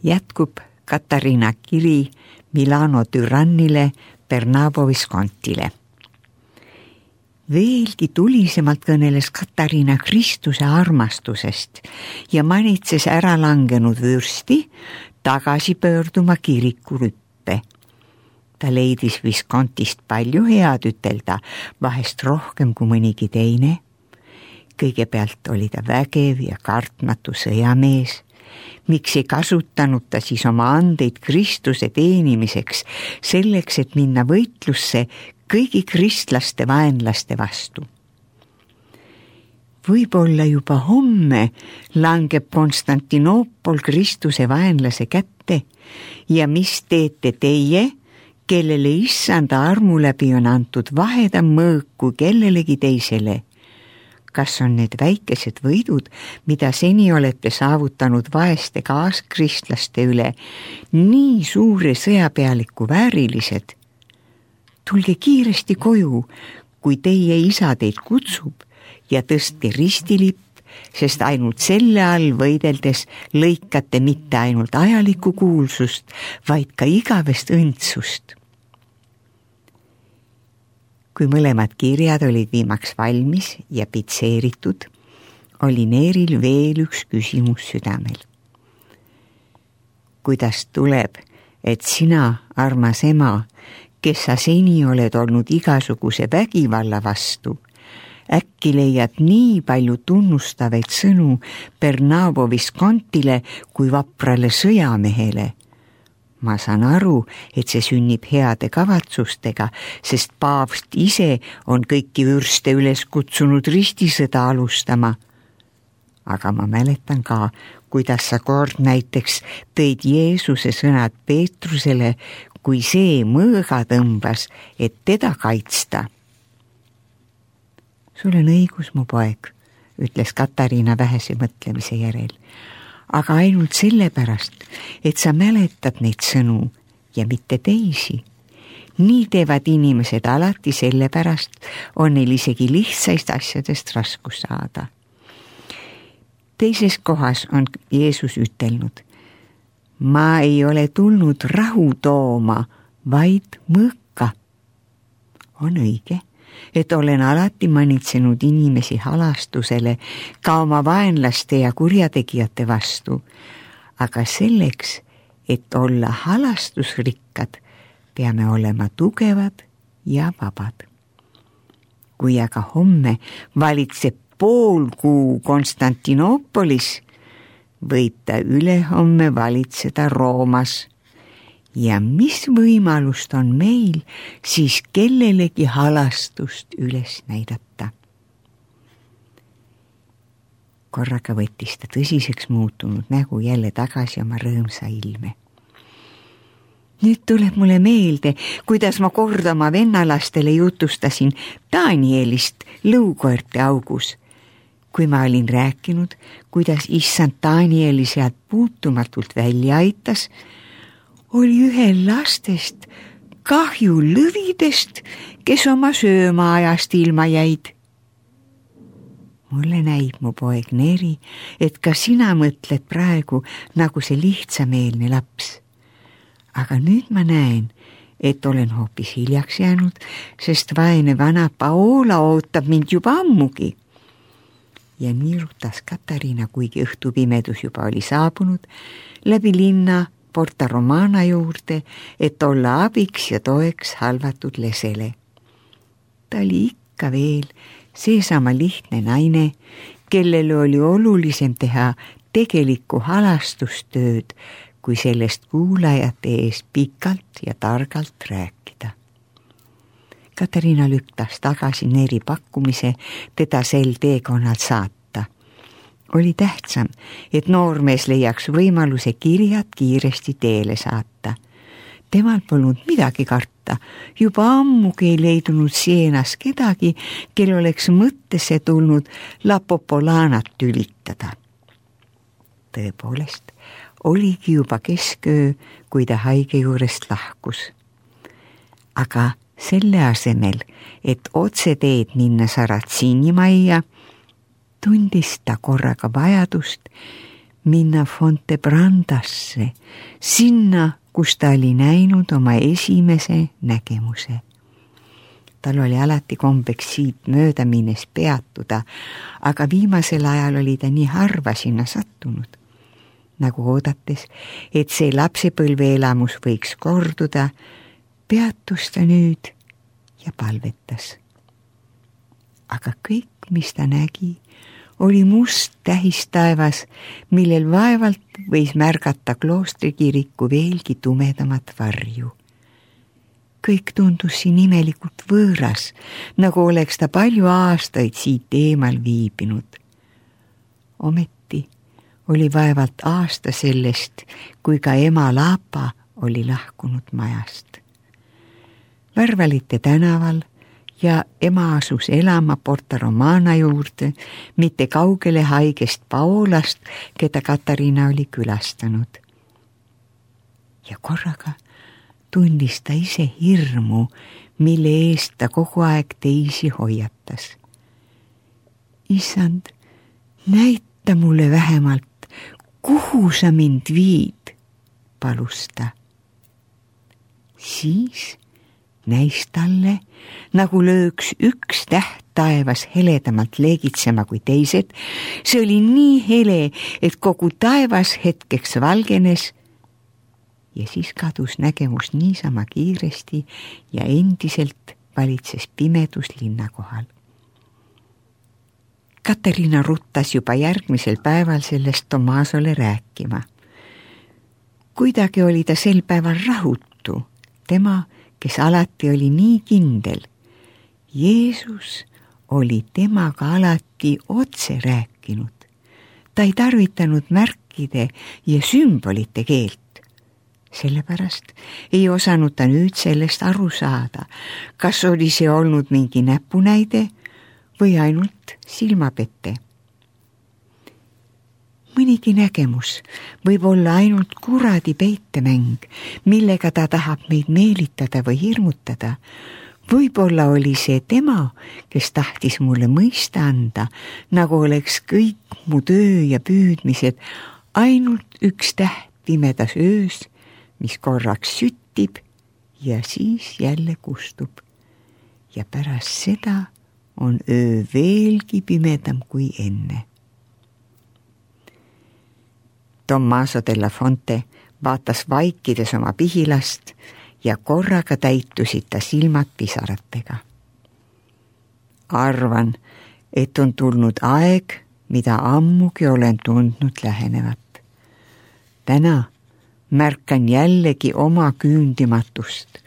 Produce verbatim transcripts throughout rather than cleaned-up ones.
Jätkub Katariina kiri Milano türannile Bernabo Viscontile. Veelgi tulisemalt kõneles Katariina Kristuse armastusest ja manitses ära langenud vürsti tagasi pöörduma kirikurüppe. Ta leidis Viscontist palju head ütelda, vahest rohkem kui mõnigi teine. Kõigepealt oli ta vägev ja kartmatu sõjamees. Miks ei kasutanud ta siis oma andeid Kristuse teenimiseks, selleks, et minna võitlusse kõigi kristlaste vaenlaste vastu? Võib-olla juba homme langeb Konstantinoopol Kristuse vaenlase kätte ja mis teete teie, kellele issanda armu läbi on antud vahedam mõõk kui kellelegi teisele? Kas on need väikesed võidud, mida seni olete saavutanud vaeste kaaskristlaste üle, nii suure sõjapealiku väärilised? Tulge kiiresti koju, kui teie isa teid kutsub ja tõstke ristilipp, sest ainult selle all võideldes lõikate mitte ainult ajalikku kuulsust, vaid ka igavest õndsust. Kui mõlemad kirjad olid viimaks valmis ja pitseeritud, oli Neeril veel üks küsimus südamel. Kuidas tuleb, et sina, armas ema, kes sa seni oled olnud igasuguse vägivalla vastu, äkki leiad nii palju tunnustavaid sõnu Bernabo Viscontile kui vaprale sõjamehele? Ma saan aru, et see sünnib heade kavatsustega, sest paavst ise on kõiki vürste üles kutsunud ristisõda alustama. Aga ma mäletan ka, kuidas sa kord näiteks tõid Jeesuse sõnad Peetrusele, kui see mõõga tõmbas, et teda kaitsta. Sul on õigus, mu poeg, ütles Katariina vähese mõtlemise järel. Aga ainult sellepärast, et sa mäletad neid sõnu ja mitte teisi. Nii teevad inimesed alati sellepärast, on neil isegi lihtsaist asjadest raskus saada. Teises kohas on Jeesus ütelnud, ma ei ole tulnud rahu tooma, vaid mõõka. On õige, et olen alati manitsenud inimesi halastusele ka oma vaenlaste ja kurjategijate vastu, aga selleks, et olla halastusrikkad, peame olema tugevad ja vabad. Kui aga homme valitseb pool kuu Konstantinoopolis, võib ta ülehomme valitseda Roomas. Ja mis võimalust on meil siis kellelegi halastust üles näidata? Korraga võttis ta tõsiseks muutunud nägu jälle tagasi oma rõõmsa ilme. Nüüd tuleb mulle meelde, kuidas ma kord oma vennalastele jutustasin Danielist lõukoerte augus. Kui ma olin rääkinud, kuidas issand Danieli sealt puutumatult välja aitas, oli ühel lastest kahju lõvidest, kes oma söömaajast ilma jäid. Mulle näib, mu poeg Neeri, et ka sina mõtled praegu nagu see lihtsameelne laps. Aga nüüd ma näen, et olen hoopis hiljaks jäänud, sest vaene vana Paola ootab mind juba ammugi. Ja niirutas Katariina, kuigi õhtupimedus juba oli saabunud, läbi linna Porta Romana juurde, et olla abiks ja toeks halvatud lesele. Ta oli ikka veel seesama lihtne naine, kellel oli olulisem teha tegelikku halastustööd, kui sellest kuulajate ees pikalt ja targalt rääkida. Katariina lüktas tagasi Neeri pakkumise teda sel teekonnal saata. Oli tähtsam, et noormees leiaks võimaluse kirjad kiiresti teele saata. Temal polnud midagi karta, juba ammugi ei leidunud Sienas kedagi, kel oleks mõttesse tulnud La Popolanat tülitada. Tõepoolest, oligi juba kesköö, kui ta haige juurest lahkus. Aga selle asemel, et otse teed minna Saratsiini majja, tundis ta korraga vajadust minna Fontebrandasse, sinna, kus ta oli näinud oma esimese nägemuse. Tal oli alati kombeks siit mööda minnes peatuda, aga viimasel ajal oli ta nii harva sinna sattunud, nagu oodates, et see lapsepõlve elamus võiks korduda, peatus ta nüüd ja palvetas. Aga kõik, mis ta nägi, oli must tähistaevas, millel vaevalt võis märgata kloostrikiriku veelgi tumedamat varju. Kõik tundus siin imelikult võõras, nagu oleks ta palju aastaid siit eemal viibinud. Ometi oli vaevalt aasta sellest, kui ka ema Laapa oli lahkunud majast. Värvalite tänaval ja ema asus elama Porta Romana juurde, mitte kaugele haigest Paolast, keda Katariina oli külastanud. Ja korraga tundis ta ise hirmu, mille eest ta kogu aeg teisi hoiatas. Issand, näita mulle vähemalt, kuhu sa mind viid, palus ta. Siis näis talle, nagu lööks üks täht taevas heledamalt leegitsema kui teised. See oli nii hele, et kogu taevas hetkeks valgenes ja siis kadus nägemus niisama kiiresti ja endiselt valitses pimedus linna kohal. Katariina ruttas juba järgmisel päeval sellest Tomasole rääkima. Kuidagi oli ta sel päeval rahutu, tema, kes alati oli nii kindel. Jeesus oli temaga alati otse rääkinud. Ta ei tarvitanud märkide ja sümbolite keelt. Sellepärast ei osanud ta nüüd sellest aru saada, kas oli see olnud mingi näpunäide või ainult silmapette. Mõnigi nägemus võib olla ainult kuradi peitemäng, millega ta tahab meid meelitada või hirmutada. Võib-olla oli see tema, kes tahtis mulle mõista anda, nagu oleks kõik mu töö ja püüdmised ainult üks täht pimedas öös, mis korraks süttib ja siis jälle kustub. Ja pärast seda on öö veelgi pimedam kui enne. Tommaso della Fonte vaatas vaikides oma pihilast ja korraga täitusid ta silmad pisaratega. Arvan, et on tulnud aeg, mida ammugi olen tundnud lähenevat. Täna märkan jällegi oma küündimatust,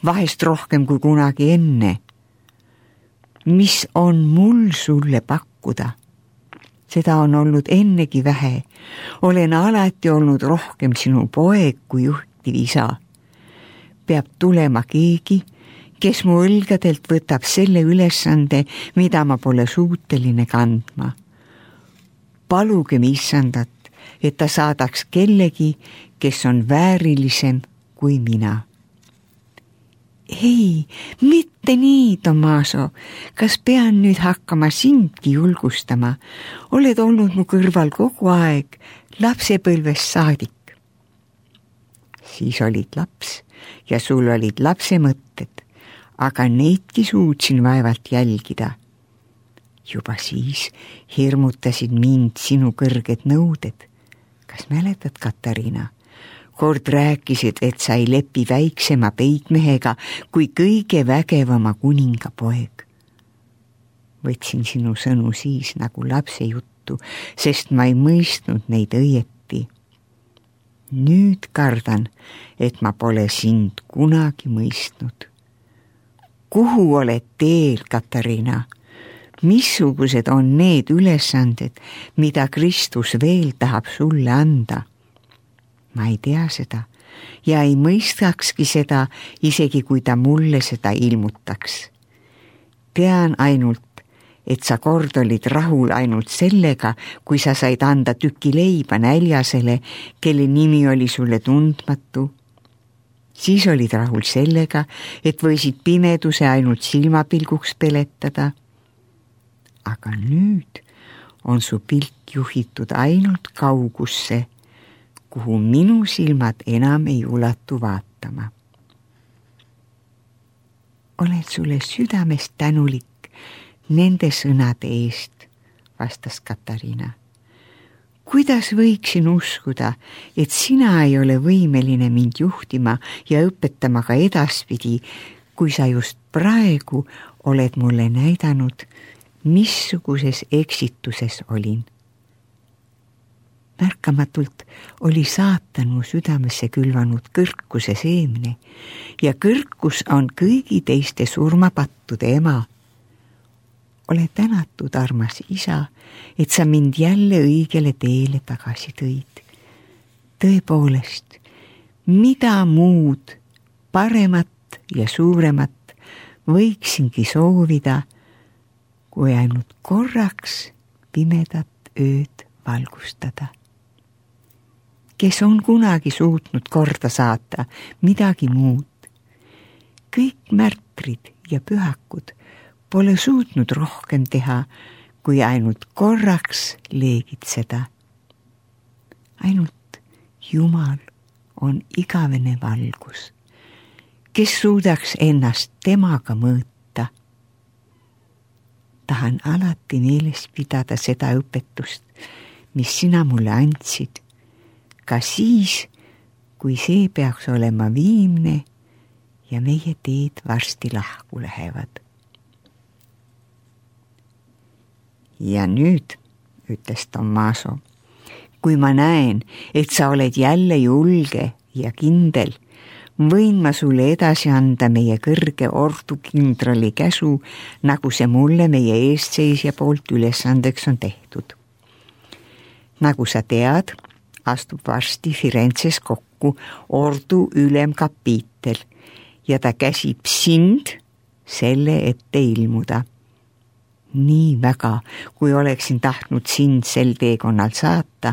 vahest rohkem kui kunagi enne. Mis on mul sulle pakkuda? Seda on olnud ennegi vähe. Olen alati olnud rohkem sinu poeg kui juhtiv isa. Peab tulema keegi, kes mu õlgadelt võtab selle ülesande, mida ma pole suuteline kandma. Palugem Issandat, et ta saadaks kellegi, kes on väärilisem kui mina. Ei, mitte nii, Tommaso. Kas pean nüüd hakkama sindki julgustama? Oled olnud mu kõrval kogu aeg, lapsepõlvest saadik. Siis olid laps ja sul olid lapse mõtted, aga neidki suutsin vaevalt jälgida. Juba siis hirmutasid mind sinu kõrged nõuded. Kas mäletad, Katariina? Kord rääkisid, et sa ei lepi väiksema peitmehega kui kõige vägevama kuninga poeg. Võtsin sinu sõnu siis nagu lapse juttu, sest ma ei mõistnud neid õieti. Nüüd kardan, et ma pole sind kunagi mõistnud. Kuhu oled teel, Katariina? Missugused on need ülesanded, mida Kristus veel tahab sulle anda? Ma ei tea seda ja ei mõistakski seda, isegi kui ta mulle seda ilmutaks. Tean ainult, et sa kord olid rahul ainult sellega, kui sa said anda tüki leiba näljasele, kelle nimi oli sulle tundmatu. Siis olid rahul sellega, et võisid pimeduse ainult silmapilguks peletada. Aga nüüd on su pilk juhitud ainult kaugusse, kuhu minu silmad enam ei ulatu vaatama. Olen sulle südamest tänulik nende sõnade eest, vastas Katariina. Kuidas võiksin uskuda, et sina ei ole võimeline mind juhtima ja õpetama ka edaspidi, kui sa just praegu oled mulle näidanud, missuguses eksituses olin. Märkamatult oli saatan mu südamesse külvanud kõrkuse seemne ja kõrkus on kõigi teiste surmapattude ema. Ole tänatud, armas isa, et sa mind jälle õigele teele tagasi tõid. Tõepoolest, mida muud, paremat ja suuremat võiksingi soovida, kui ainult korraks pimedat ööd valgustada. Kes on kunagi suutnud korda saata midagi muud. Kõik märtrid ja pühakud pole suutnud rohkem teha, kui ainult korraks leegitseda. Ainult Jumal on igavene valgus, kes suudaks ennast temaga mõõta. Tahan alati meeles pidada seda õpetust, mis sina mulle andsid, ka siis, kui see peaks olema viimne ja meie teed varsti lahku lähevad. Ja nüüd, ütles Tommaso, kui ma näen, et sa oled jälle julge ja kindel, võin ma sulle edasi anda meie kõrge ordukindrali käsu, nagu see mulle meie eestseisja poolt ülesandeks on tehtud. Nagu sa tead, astub varsti Firenzes kokku ordu ülemkapiitel ja ta käsib sind selle ette ilmuda. Nii väga, kui oleksin tahtnud sind sel teekonnal saata,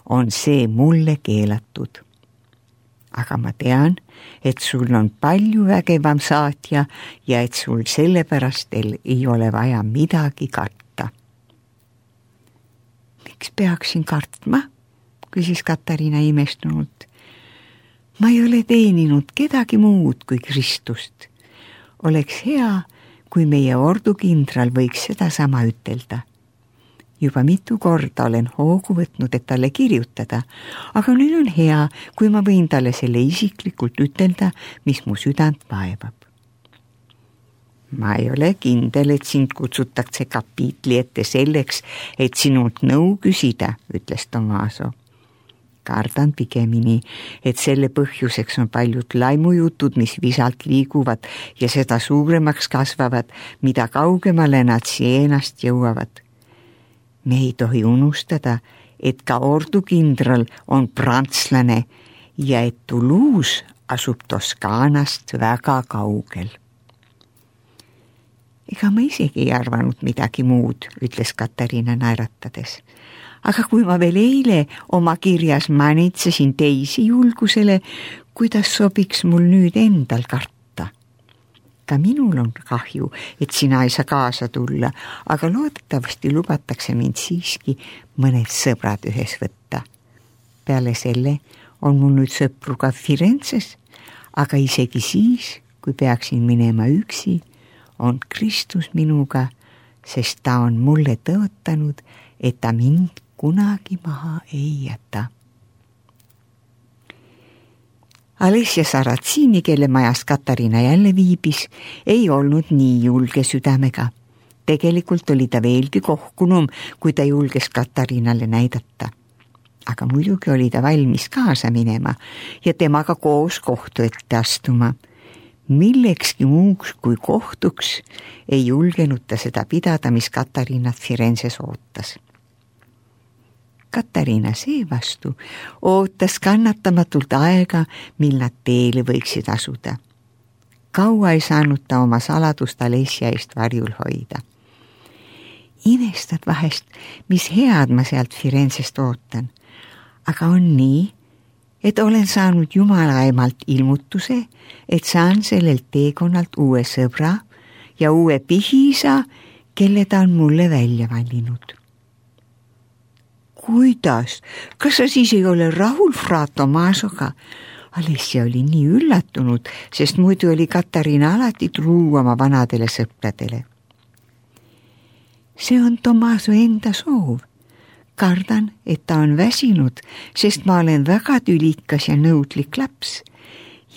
on see mulle keelatud. Aga ma tean, et sul on palju vägevam saatja ja et sul sellepärast ei ole vaja midagi karta. Miks peaksin kartma? Küsis Katariina imestunult. Ma ei ole teeninud kedagi muud kui Kristust. Oleks hea, kui meie ordukindral võiks seda sama ütelda. Juba mitu korda olen hoogu võtnud, et talle kirjutada, aga nüüd on hea, kui ma võin talle selle isiklikult ütelda, mis mu südant vaevab. Ma ei ole kindel, et sind kutsutakse kapiitli ette selleks, et sinult nõu küsida, ütles Tommaso. Kardan pigemini, et selle põhjuseks on paljud laimujutud, mis visalt liiguvad ja seda suuremaks kasvavad, mida kaugemale nad sienast jõuavad. Me ei tohi unustada, et ka ordukindral on prantslane ja et Toulouse asub Toskaanast väga kaugel. Ega ma isegi ei arvanud midagi muud, ütles Katariina naeratades. Aga kui ma veel eile oma kirjas manitsesin teisi julgusele, kuidas sobiks mul nüüd endal karta. Ka minul on kahju, et sina ei saa kaasa tulla, aga loodetavasti lubatakse mind siiski mõned sõbrad ühes võtta. Peale selle on mul nüüd sõpru ka Firenzes, aga isegi siis, kui peaksin minema üksi, on Kristus minuga, sest ta on mulle tõotanud, et ta mind kunagi maha ei jäta. Alessia Saratsini, kelle majas Katariina jälle viibis, ei olnud nii julge südamega. Tegelikult oli ta veelgi kohkunum, kui ta julges Katariinale näidata. Aga muidugi oli ta valmis kaasa minema ja temaga koos kohtu ette astuma. Millekski muuks kui kohtuks ei julgenud ta seda pidada, mis Katariinat Firenzes ootas. Katariina seevastu ootas kannatamatult aega, mil nad teele võiksid asuda. Kaua ei saanud ta oma saladust Alessia eest varjul hoida. Imestad vahest, mis head ma sealt Firenzest ootan, aga on nii, et olen saanud Jumala emalt ilmutuse, et saan sellelt teekonnalt uue sõbra ja uue pihisa, kelle ta on mulle välja valinud. kuidas? Kas sa siis ei ole rahul fra Tomasoga? Alessia oli nii üllatunud, sest muidu oli Katariina alati truu oma vanadele sõpradele. See on Tomaso enda soov. Kardan, et ta on väsinud, sest ma olen väga tülikas ja nõudlik laps.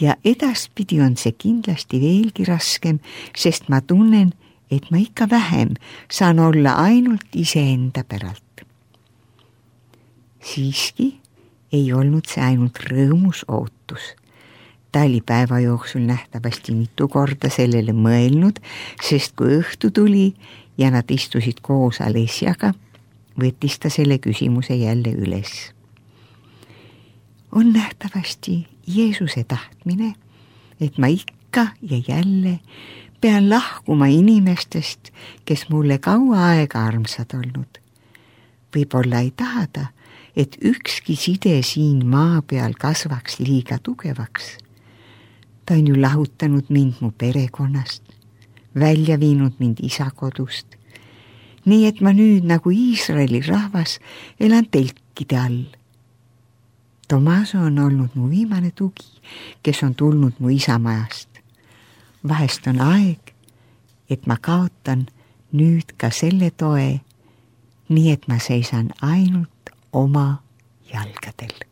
Ja edaspidi on see kindlasti veelgi raskem, sest ma tunnen, et ma ikka vähem saan olla ainult iseenda päralt. Siiski ei olnud see ainult rõõmus ootus. Ta oli päeva jooksul nähtavasti mitu korda sellele mõelnud, sest kui õhtu tuli ja nad istusid koos Alessiaga, võttis ta selle küsimuse jälle üles. On nähtavasti Jeesuse tahtmine, et ma ikka ja jälle pean lahkuma inimestest, kes mulle kaua aega armsad olnud. Võib-olla ei tahada, et ükski side siin maa peal kasvaks liiga tugevaks. Ta on ju lahutanud mind mu perekonnast, välja viinud mind isa kodust, nii et ma nüüd nagu Iisraeli rahvas elan telkide all. Tomaso on olnud mu viimane tugi, kes on tulnud mu isamajast. Vahest on aeg, et ma kaotan nüüd ka selle toe, nii et ma seisan ainult oma jalgadel.